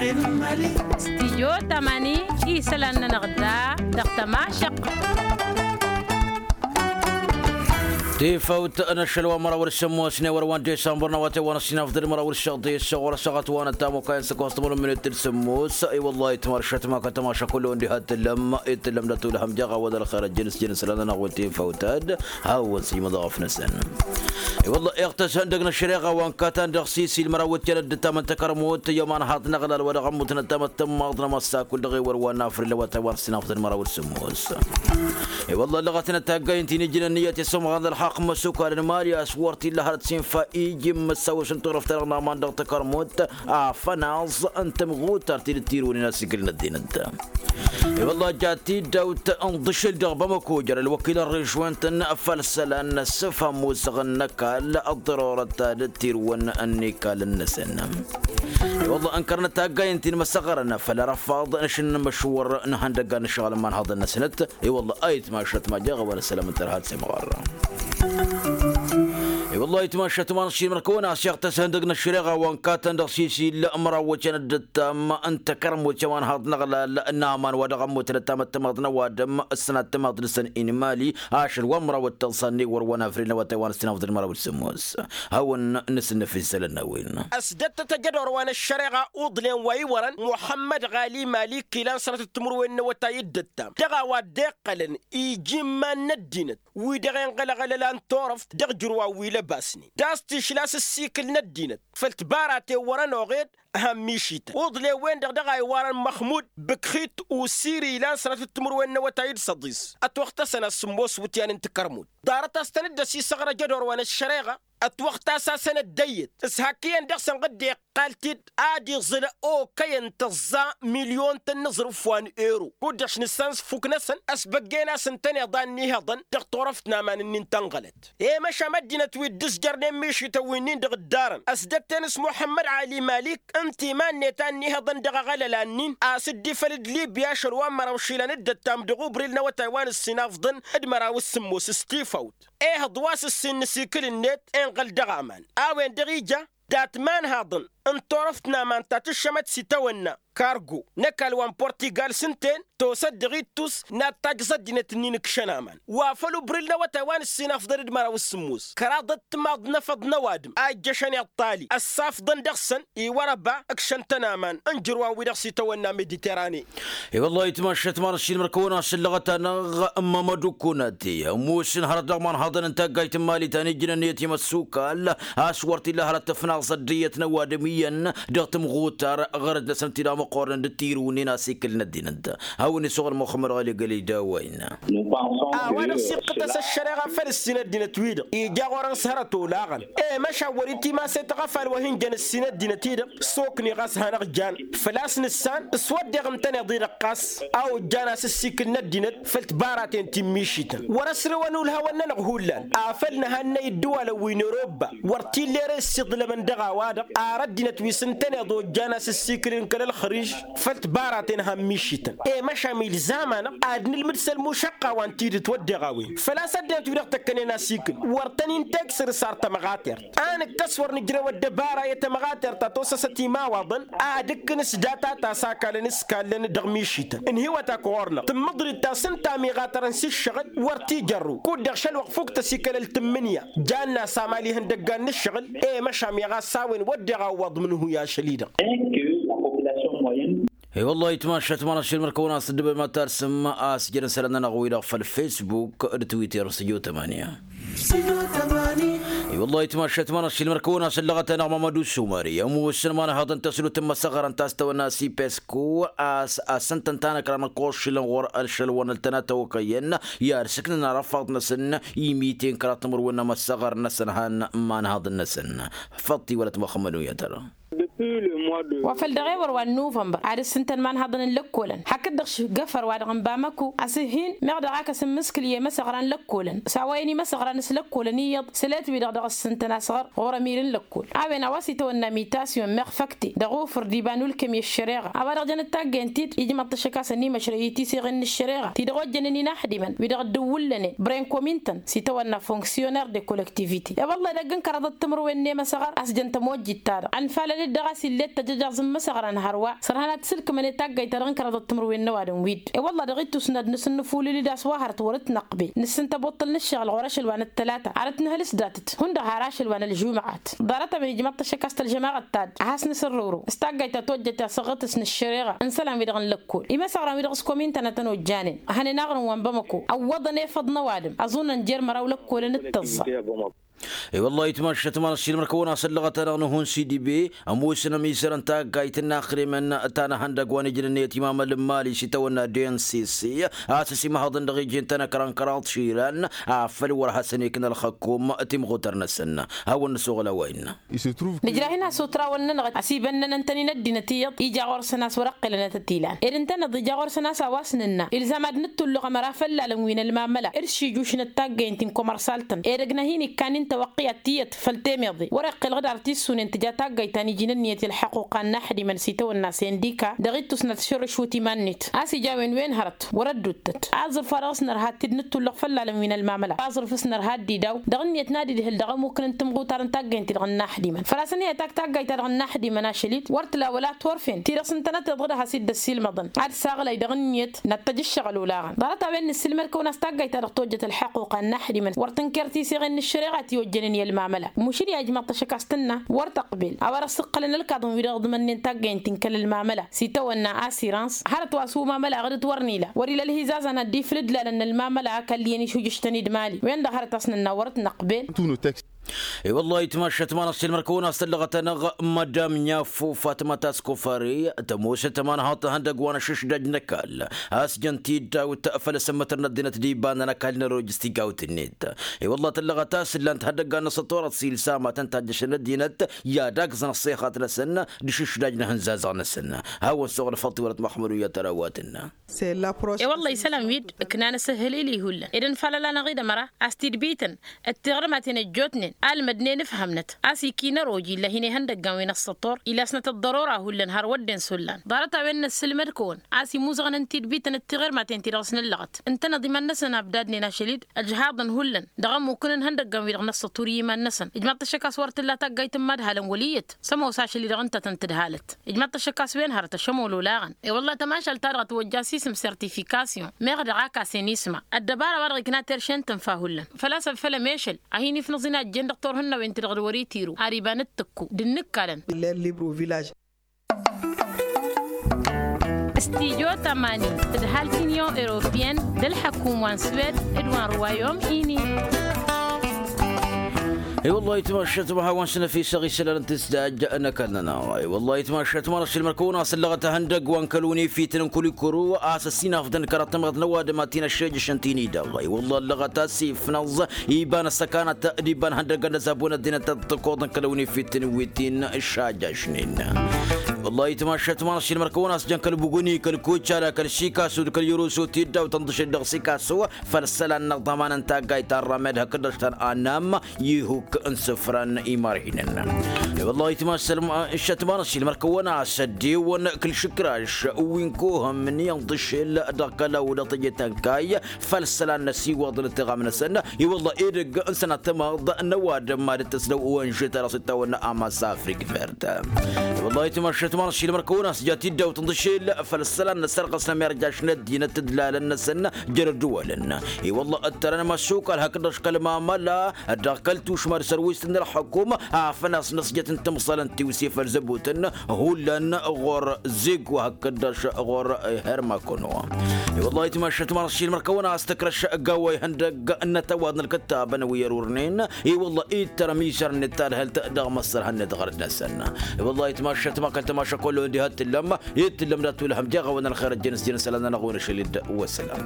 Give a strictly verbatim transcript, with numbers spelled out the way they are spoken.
Stijyo tamani isălan-nănăɣ da dăɣ-tămašăq. Tifawt n-ašăl wa măraw d-sămmos n-ewăr wa n-disambăr n-awătay wa n-ăssinafḍăd măraw d-săɣḍis ɣur-săɣăt wa n-ăttamukay n-săkost tămălum minit d-sămmos. I-wăllah itmăršăt ma kătămašăk kullu ǝndi ha t-tǝllăm. Itǝllăm d-atulhăm jaɣ a-wa d-ălxer ăjjăn s-jăn isălan-nănăɣ wi tifawt ad-hawăn-sǝjmăḍ aɣăf-năsăn. I-wălla iɣtăs ihăndăg n-ăššăreɣa wa n-katan dăɣ-sisil măraw wǝtyan dd-ǝttam n-takărmut i-ămanhaḍ n-aɣlal wa dăɣ-ămmut n-ăttam d-tǝmmaḍ n-amăssakul dăɣ-ewăr wa n-afril n-awătay wa n-ăssinafḍăd măraw d-sǝmmos. I-wălla ăllăɣăt-in ătaggayt-in ijnăn niyyăt i-sumɣan d-ălxaqq măsukal n-mali a-s wăr t-illa hărăt s-infa iji n-măssawăš n-turăft-ta-dăɣ n-aman dăɣ-takărmut afănaẓ n-tămɣutart-i d-tirǝwnen asikǝl n-ăddinăt. I-wălla jat-dd dawt n-dăšel dăɣ-bamăko jer-ălwăkil n-režwent n-făll-isălan n-ăssăfham musăɣ n-ăkall ăḍḍărorăt ta d-tirǝwăn n-ikall-năsăn. I-wălla ǝnkărnăt taggay ǝnta-in măsăɣrăn făll-arăfaḍ n-ašǝnnǝmăšwăr n-ihăndăggan n-ǝššăɣǝl n-imanhaḍăn-năsnăt. I-wălla a itmašăt ma jeɣ a-wa n-ăssălam n-tărha d-semɣarra. I-wălla a itmašăt ma n-aššimrăkăwăn a-s iɣtăs ihăndăg n-ăššăreɣa wa n-katan dăɣ-sisil măraw wătyan dd-ǝttam n-takărmut i-ămanhaḍ n-aɣlal n-aman wa dăɣ-ămmut d-ăttam d-tǝmmaḍ n-ăwadǝm ǝssănat tǝmmaḍ-năsăn inmali ašăl wa n-măraw d-tăḍsa n-iwăr wa n-afril n-awătay wa n-ăssinafḍăd măraw d-sǝmmos. Hawăn-nǝsǝnnǝf isălan n-a-wen. Ăsdăttăt ajădor wa n-ăššăreɣa uḍlen wa iwărăn muḥămmăd ɣali malik ilan sănătăt timǝrwen n-awătay dd-ǝttam dăɣ-a-wa dd-iqqălăn iji n-iman n-ăddinăt wi-dăɣ enɣălăɣăl ăla n-turăft dăɣ-ijrǝw a-wi lăbasnen tas tišla s-ǝssikǝl n-ăddinăt făll-tibaraten wăr-ănoɣed. Hămmišităn uḍlen-wen-dăɣ dăɣ-a iwarăn măxmud bǝkxit usiri ilan sănătăt timǝrwen n-awătay d-săḍis ătwăxtăsăn asǝmmos wǝtyan n-tikărmut ḍarăt a-s tăn-dd-ăsisăɣrăj ădor wa n-ăššăreɣa. Ătwăxtasasăn ăddăyyăt s-hak iyyăn dăɣ-săn ɣǝddeɣ iqqal-t-dd ad-iẓǝl okăyăn tăẓẓa milyon-tăn n-aẓrǝf wa n-ero kud-dăɣ š-nǝssan s-fuk-năsăn ăsbăggen-asǝntăn iḍan n-ihăḍăn dăɣ-turăft n-aman-ǝnnin tănɣălăt. I-măšan ăddinăt wi dd-ǝzjărnen mišităn wi-nin-dăɣ ǝddarăn ăsdătten s-muḥămmăd ăli malik ǝnta iman-net a ǝnnihăḍăn dăɣ-aɣălăla-nin a-s dd-ifăl d-libya ašăl wa n-măraw išilan dd-ăttam dăɣ-ubril n-awătay wa n-ǝssinafḍăn d-măraw d-sǝmmos s-tifawt. Ehăḍ wa s-ǝssin n-asikǝl-net inɣăl dăɣ-aman a-wen-dăɣ ija dat-imanhaḍăn n-turăft n-aman ta tǝššămăt s-itawănna kargo n-ăkall wa n-purtigal s-ǝnta-en tosăt dăɣ-ittus n-ad-tajjăẓ ăddinăt-ǝnnin ǝkšăn aman wa făl ubril n-awătay wa n-ǝssin afḍăn d-măraw s-sǝmmos kăraḍăt timaḍ n-afăḍ n-ăwadǝm a ijjăšăn iṭṭali ăssafḍăn dăɣ-săn iwărăba ǝkšăn-tăn aman n-ijrǝw a-wi-dăɣ s-itawănna mediterane. I-wăllah itmašăt ma n-ašilmăr kăwăn-asǝllăɣăt-anăɣ n-mamădu kunati ămoosăn hărăt dăɣ-imanhaḍăn n-taggayt n-mali ta n-ijnăn i-timăssukal a-s wăr t-illa hărăt tǝfnaẓ ăddinăt n-ăwadǝm iyyăn dăɣ-tǝmɣutar ɣărăt-năsăn tidamăqqornen d-tirǝwnen asikǝl n-ăddinăt. Hawăn-isuɣǝl muxămmăd ɣali gălida wăyna. A-wa dăɣ-s iqqǝtăs ăššăreɣa făll-ǝssin ăddinăt-wi-dăɣ ija ɣur-ănɣ s-hărăt olaɣăn i-măšan wăr-itimas i-taɣăfal wa hin-jăn ǝssin ăddinăt-i-dăɣ s-okni ɣas hanăɣ-jan făl-a-s nǝssan s-wădden ǝntăneḍ-i-dăɣ ɣas a ojjan asǝssikǝl n-ăddinăt făll-tibaraten ti n-mišităn wăr-ăsrǝwăn ulhawăn-nănăɣ hullan afăl nǝhannăy dd-ăwalăn wi n-erobba wăr t-illa ere ǝssiḍlămăn dăɣ-a-wa-dăɣ ar ăddinăt wi s-ǝntăneḍ ojjan asǝssikǝl n-kăl-ălxăriž făll-tibaraten han mišităn i-măšan ilzam-anăɣ ad-nǝlmǝd s-ălmušăqqa wa n-tidǝt wădden a-wen făl-a-s ăddinăt wi dăɣ-tăkkănen asikǝl wăr tăn-in-teksǝr s-ar tămɣatert a nǝkkăs wăr nǝjrew ăddăbara i-tămɣatert ta tosăsăt imawaḍăn ad-ǝkkǝn s-data ta s-akalăn s-kallăn dăɣ-mišităn ǝnhǝyăt ak ɣur-năɣ tǝmmǝḍrit ta s-ǝnta a miɣatărăn s-ǝššăɣǝl wăr t-ijărrǝw kud-dăɣ šălwăqq fuk tăsikălăl tǝmmǝnǝya janna s-amal ihăndăggan n-ǝššăɣǝl i-măšan miɣas a-wen wădden a ǝwwăḍ mǝnhǝy ašăl-i-dăɣ. I-wăllah itmašăt ma n-ašăl măr-kăwăn-asǝddǝbăm ad-talsǝm a-s jăn isălan-nănăɣ-wi-dăɣ făll-facebook d-twitter s-ǝjot ămani. I-wăllah itmašăt ma n-ašăl măr-kăwăn-asǝllăɣăt-anăɣ mămădu sumări ămoosăn ma n-ehăḍăn tăslut n-imăsăɣărăn ta s-tawănna s-ipesku a-s asăn-tăn-tanăkrăn ălkoššǝlăn ɣur-ălšăl wa n-ăltănat ăwăkăyăn i-ad-sǝknăn arăfaḍ-năsăn imiten kăraḍ timǝrwen n-imăsăɣărăn-năsăn han n-imanhaḍăn-năsăn. Făṭṭ-iwălăt măxămmăd uyătăr. Wa făl dăɣ-ewăr wa n-nuvănbăr ad-ǝssǝntăn imanhaḍăn n-lăkkolăn hakd-dăɣ šgăfăr wa dăɣ-n bamăko a-s ǝhhin meɣ dăɣ-ak ăsǝmmǝskǝl i-imăsăɣra n-lăkkolăn s-a-wa-in imăsăɣra n-s lăkkolăn iyyăḍ sălet-wi-dăɣ dăɣ-ăssǝntăn asăɣăr ɣur-ămir n-lăkkol a-wen a-wa s-itawănna imitasyon meɣ făkte dăɣ-ufǝr d-iba n-ulkăm i-ăššăreɣa a-wa dăɣ-jăn d-taggent-dd ijmăḍ-t ašăk a-s ănimăšrăy i-tiseɣen n-ăššăreɣa ti-dăɣ ojjănen inaxdimăn wi-dăɣ dd-ǝwwǝllănen bren komintăn s-itawănna fonksyoner de kollektivite i-wălla edăgg n-kăraḍăt timǝrwen n-emăsăɣăr a-s jăn tămojjit-ta-dăɣ ănfalăn-dd dăɣ-a-s illet. Jăjaẓ n-imăsăɣran hărwa sărhăn ad-t-sǝlkǝmăn i-taggayt-ta-dăɣ n-kăraḍăt timǝrwen n-ăwadǝm wi-dd. E-wălla dăɣ-ittus n-ad-nǝsǝnnǝfulǝl-dd a-s wa hărăt wăr-ǝtnăqqbel nǝssǝntă abuṭṭǝl n-ǝššăɣǝl ɣur-ašăl wa n-ăttălata ad-ătnăhăl s-datăt hundăɣ har ašăl wa n-ălžumăɣat. Ḍarăt-a-wen ijmăḍ-t ăššăk a-s tălžămaɣăt ta-dd ad-has-nǝsǝrrǝwrǝw s-taggayt ta tojjăt i-asăɣɣătăs n-ăššăreɣa n-isălan-wi-dăɣ n-lăkkol. Imăsăɣran-wi-dăɣ s-komintăn a tăn-ojjanen hănen aɣrǝm wa n-bamăko ăwwăḍăn efăḍ n-ăwadǝm ăẓunăn jer-măraw lăkkolăn d-tăẓẓa. I-wăllah itmašat ma n-ăssiilmăr kăwăn-asăllăɣăt-anăɣ n-ehun sidibe ămoosăn ămizărăn taggayt n-inaxrimăn ta n-ehăndăg wa n-ijnăn i-ătimamăl n-imali s-itawănna d-n s s a-s ăsimăhăḍăn dăɣ-iji n-tanăkra n-kăraḍ išilan afăl wăr hasăn-ikna ălxăkkum timɣutăr-năsăn. Hawăn-nǝsoɣăl a-wa innă. Nǝjrah-in a-s otrawăn-nănăɣ ăsibănnăn ǝntănin ăddinăt iyyăḍ ija ɣur-săn a-s wăr-ăqqǝlăn ad-tăt-ilan ed ǝntăneḍ ija ɣur-săn a-s a-wa s-nǝnna ilzam ad-nǝttullăɣ ămăra făllalăn wi n-ălmamăla. Ed s-ijušnăt taggăyăn ti n-komărsal-tăn edăgg n-ad-hin-ikkan i-n tawăqqǝyat tiyyăt făll-temeḍe wăr-iqqǝlăɣ d-ar tissune n-tǝja taggăyt ta n-iji n-ǝnniyăt i-ălḥăqquqa n-inaxdimăn s-itawănna sendika dăɣ-ittus n-ad-t-šărrǝšwǝt iman-net a-s ija a-wen wen hărăt wăr-ădduuttăt aẓrǝf wa dăɣ-s nărha-t-dd nǝttullăɣ făllalăn wi n-ălmamăla aẓrǝf s-nărha-dd idaw dăɣ-ǝnniyăt n-ad-idhǝl dăɣ-ămmukǝn n-timɣutar n-taggăynt-ti-dăɣ n-inaxdimăn făl-a-s ănhăyăt ak taggayt-ta-dăɣ n-inaxdimăn ašăl-dd wăr tǝla wăla turfen ti-dăɣ s-ǝntănăteḍ d-ad-has-dd-ăssiilmăḍăn ad-saɣlay dăɣ-ǝnniyăt n-ad-tăj ǝššăɣǝl olaɣăn ḍarăt-a-wen nǝssilmăd-kăwăn a-s taggayt-ta-dăɣ tojjăt ălḥăqquqa n-inaxdimăn wăr tǝnker tiseɣen n-ăššăreɣa ti ojjănen i-ălmamăla mušǝl i-a ijmăḍ-t ašăk a-s tǝnna wăr tăqbel a-wa dăɣ-s ǝqqălăn ălkaḍăn-wi-dăɣ ǝḍmănnen taggăyăn ti n-kăl-ălmamăla s-itawănna asirans hărăt wa s-umamăla aɣdǝt wăr n-ila wăr-ila ălhizazăn ad-dd-iflǝd lalăn n-ălmamăla a kălliyăn išujǝštăn-dd mali wen-dăɣ hărăt a-s nǝnna wăr t-năqbel. I-wăllah itmašat ma n-ăssiilmăr-kăwăn a-s tăllăɣăt-anăɣ madam n-iaffu fatma taskofari tămoosăt ămanhaḍ tăhăndăg wa n-ašǝšdaj n-ăkall a-s jăn tiddawt făll-asǝmmătăr n-ăddinăt d-ibanăn ăkall n-ăroj s-tigawt-net. I-wăllah tăllăɣăt a-s ǝllan-t ihăndăggan n-asăṭṭurăt s-ilsamatăn tajjăšăn ăddinăt i-ad-agǝẓăn ăṣṣixat-năsăn d-ašǝšdaj n-ehǝnzazăɣ-năsăn. Hawăn-suɣǝl făll-tiwălăt măxmăd uyyăt ărawatăn. E-wălla isălan-wi-dd ǝknan asǝhhǝlil i-hullan ed ănfalăl-anăɣ-dd ămăra a-s tidbităn d-tiɣrǝmaten ăjjootnen almădnen ǝfhămnăt a-s ikinăroj illa hin-ihăndăggan wi n-ăṣṣăṭṭur ilasnăt ăḍḍărora hullan har wădden s-hullan ḍarăt-a-wen nǝssǝlmăd-kăwăn a-s imuzăɣăn n-tidbităn d-tiɣirmaten ti-dăɣ s-nǝllăɣăt ǝntăneḍ iman-năsăn abdadnen ašăl-dd ăjhaḍăn hullan dăɣ-ămmukǝn n-ihăndăggan-wi-dăɣ n-ăṣṣăṭṭur i-iman-năsăn ijmaḍ-t ašăk a-s wăr t-tǝlla taggayt n-imadhalăn wăl' iyyăt s-ămoos ašăl-i-dăɣ ǝnta a tăn-tǝdhalăt. Ijmaḍ-t ašăk a-s wen hărăt ašămol olaɣăn i-wălla tamašalt-ta-dăɣ ătwăjja s-isǝm sertifikasyon meɣ dăɣ-ak a-s enisma ăddăbara-wa-dăɣ ikna terše n-tǝnfa hullan făl-a-s ăffăl ămešăl a hin-ifnǝẓ-in a ăjjeen dăɣ-turhǝnnawen-ti-dăɣ d-wăr-itiru ar iba n-ǝttǝkku d-ǝnnǝkkalăn. Stijo tămani tǝdhal t-inyon europiyăn d-ălḥăkum wa n-swed d-wa n-ruwayom ini. I-wăllah itmašat ma hawăn-s năfisăɣ isălan n-tǝsdaj n-ăkall-nănăɣ. I-wăllah itmašat ma n-ăššilmăr-kăwăn a-s ăllăɣăt ehăndăgg wa n-kăl-unifit n-kulikuru a-s ăsinafdăn kăraḍ tamăḍt n-ăwadǝm ad-t-in-ăššejăšăn ti n-idăɣ. I-wăllah ăllăɣăt a-s ifnăẓ iba n-ăssăkanăt d-iba n-ihăndăgg ănnăzabun ăddinăt ad-t-ăkkoḍăn kăl-unifit n-wi t-in-ăššajăšnen. I-wăllah itmašat ma n-ăššilmăr-kăwăn a-s jăn kăl-buguni kăl-kočala kăl-sikasu d-kăl-irusu tiddaw tănḍǝšet dăɣ-sikasu făll-isălan n-aḍăman n-taggayt ta n-ramed hakd-dăɣ s-tăn-anam ihuk n-isǝfran imarhinăn. I-wăllah itmašat ma n-ăššilmăr-kăwăn a-s ăddiwăn kăl-išǝkraš wi n-kohăm n-iyyăḍ d-ašel dăɣ-kălaw dăɣ-teje tănkay făll-isălan n-ăsiwăḍ n-ăttiɣam-năsăn. I-wălla edăgg n-sănat tamăḍt n-ăwadǝm ma dd-tăsdăw ăwănže ta dăɣ-s dd-tawănna amas afrik verd. I-wălla itmašat ma n-ăššilmăr-kăwăn a-s ja tiddawt n-dăšel făll-isălan n-ăssărɣăs n-amirjaš n-ăddinăt d-lalăn-năsăn jer-ădduwălăn. I-wălla ăttărăn măsukal hakd-dăɣ kăl-mamăla dăɣ-kăl-tušma d-sărwist n-ălxăkum afăl a-s năsjăt n-timẓalăn tiwse făll-zăbutăn hullan ɣur-zeg wa hakd-dăɣ ɣur-hermakono. I-wălla itmašat ma n-ăššilmăr-kăwăn a-s tǝkrăš gawa ihăndăgg n-ătăwaḍ n-ălkăttabăn wi ărurnen. I-wălla ittărăm isărnet tadhǝlt dăɣ-măssărhănnet ɣărăt-năsăn. I-wălla itmašat ma kăl-tămaša kăwăn-lăwăn diha t-tǝllăm i-t-tǝllăm dat-tulhăm deɣ a-wăn ălxer ăjjăn s-jăn isălan-nănăɣ wi n-ašăl-dd wăssălam.